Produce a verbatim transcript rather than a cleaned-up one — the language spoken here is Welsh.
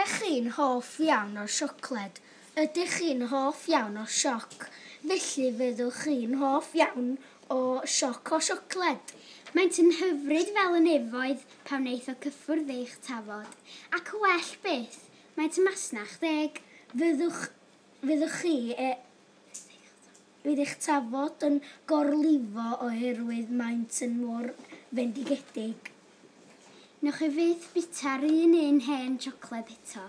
Ydych chi'n hoff iawn o siocled? Ydych chi'n hoff iawn o sioc? Felly fyddwch chi'n hoff iawn o sioc o siocled. Maent yn hyfryd fel y nefoedd pan wneith o cyffwrdd eich tafod. Ac well byth, maent yn masnach ddeg. Fyddwch, fyddwch chi e, fydd eich tafod yn gorlifo oherwydd maent yn mor fendigedig. Newch chi fyth bita'r un un hen siocled eto.